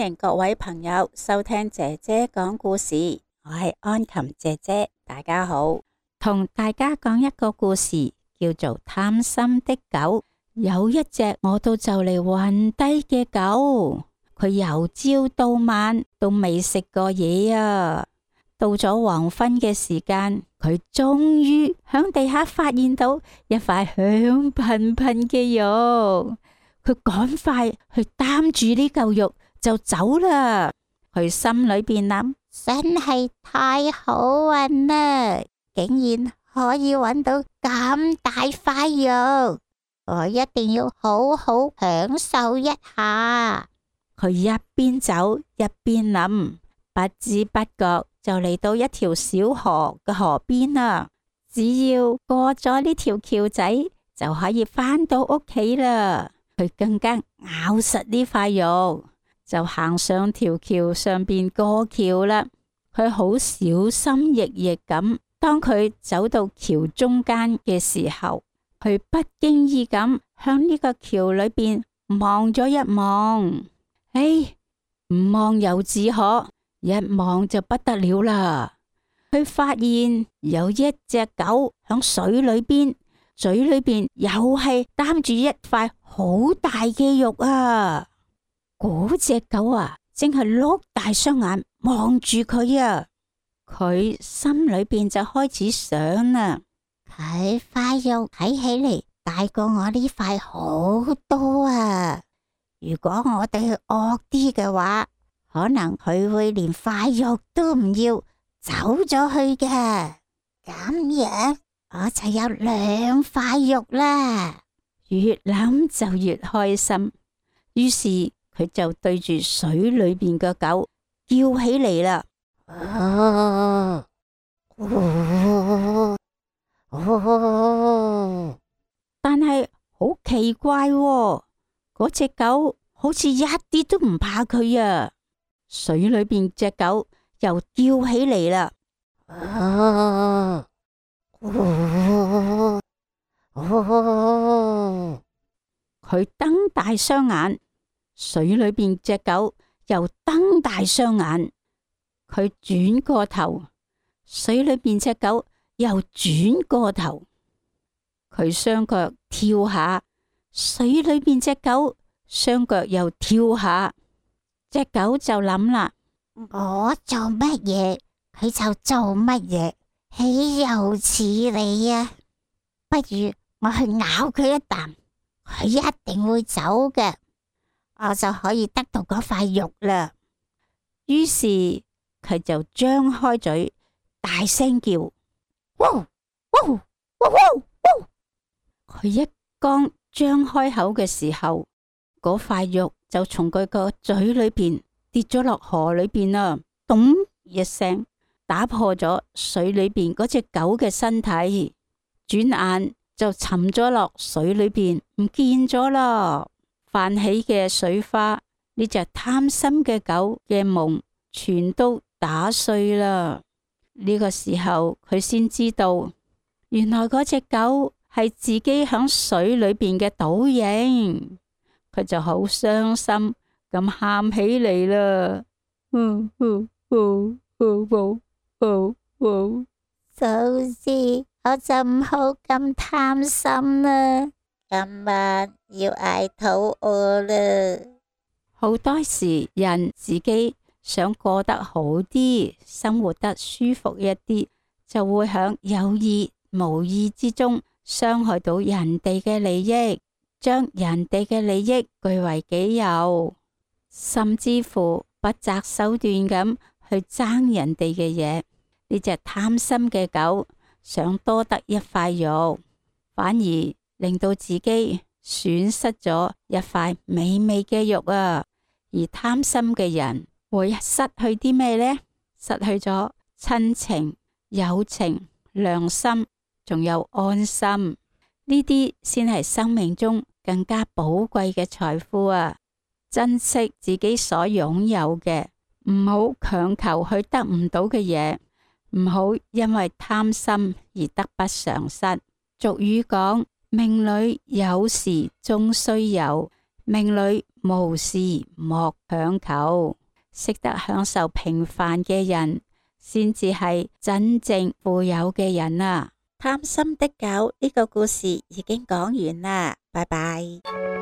迎各位朋友收聽姐姐講故事，我係安琴姐姐，大家好。同大家講一個故事，叫做貪心的狗。有一隻餓到就嚟暈低嘅狗，佢由朝到晚都未食過嘢啊。到咗黃昏嘅時間，佢終於響地下發現到一塊香噴噴嘅肉，佢趕快去擔住呢嚿肉就走啦。佢心裏邊諗，真係太好運啦，竟然可以揾到咁大塊肉，我一定要好好享受一下。佢一邊走一邊諗，不知不覺就嚟到一條小河嘅河邊啦。只要過咗呢條橋仔，就可以返到屋企啦。佢更加咬實呢塊肉，就行上條橋上邊過橋啦。佢好小心翼翼咁，當佢走到橋中間嘅時候，佢不經意咁向呢個橋裏邊望咗一望。唔望又自可，一望就不得了啦。佢發現有一隻狗響水裏邊，嘴裏邊又係擔住一塊好大嘅肉啊！嗰隻狗啊，正係碌大雙眼望住佢啊！佢心裏邊就開始想啦，佢塊肉睇起嚟大過我呢塊好多啊！如果我哋惡啲嘅話，可能佢會連塊肉都唔要，走咗去嘅。咁樣我就有2塊肉啦。越諗就越開心，於是佢就對住水裏邊嘅狗叫起嚟啦。但係好奇怪喎，嗰隻狗好似一啲都唔怕佢啊！水裏邊隻狗又叫起嚟啦。佢瞪大雙眼，水裏邊隻狗又瞪大雙眼。佢轉過頭，水裏邊隻狗又轉過頭。佢雙腳跳下，水裏邊隻狗雙腳又跳下。隻狗就諗啦，我做乜嘢，佢就做乜嘢，豈有此理啊！不如我去咬佢一啖，佢一定會走嘅，我就可以得到嗰塊肉啦。於是佢就張開嘴，大聲叫，汪汪汪汪汪！佢一剛張開口嘅時候，嗰塊肉就從佢個嘴裏邊跌咗落河裏邊啦，咚一聲打破咗水裏邊嗰隻狗嘅身體，轉眼就沉咗落水裏邊，唔見咗啦。泛起嘅水花，呢隻貪心嘅狗嘅夢全都打碎啦。呢個時候佢先知道，原來嗰隻狗係自己響水裏邊嘅倒影。佢就好傷心咁喊起嚟啦。早知我就唔好咁貪心啦，今晚要挨肚餓啦。好多時人自己想過得好啲，生活得舒服一啲，就會響有意無意之中傷害到人哋嘅利益，將人哋嘅利益據為己有，甚至乎不擇手段咁去爭人哋嘅嘢。呢隻貪心嘅狗想多得一塊肉，反而令到自己損失咗一塊美味嘅肉啊！而貪心嘅人會失去啲咩呢？失去咗親情、友情、良心，仲有安心。呢啲先係生命中更加寶貴嘅財富啊！珍惜自己所擁有嘅，唔好強求去得唔到嘅嘢，唔好因為貪心而得不償失。俗語講，命裏有時終須有，命裡無事莫強求，識得享受平凡嘅人，先至係真正富有嘅人啊！貪心的狗呢個故事已經講完啦，拜拜。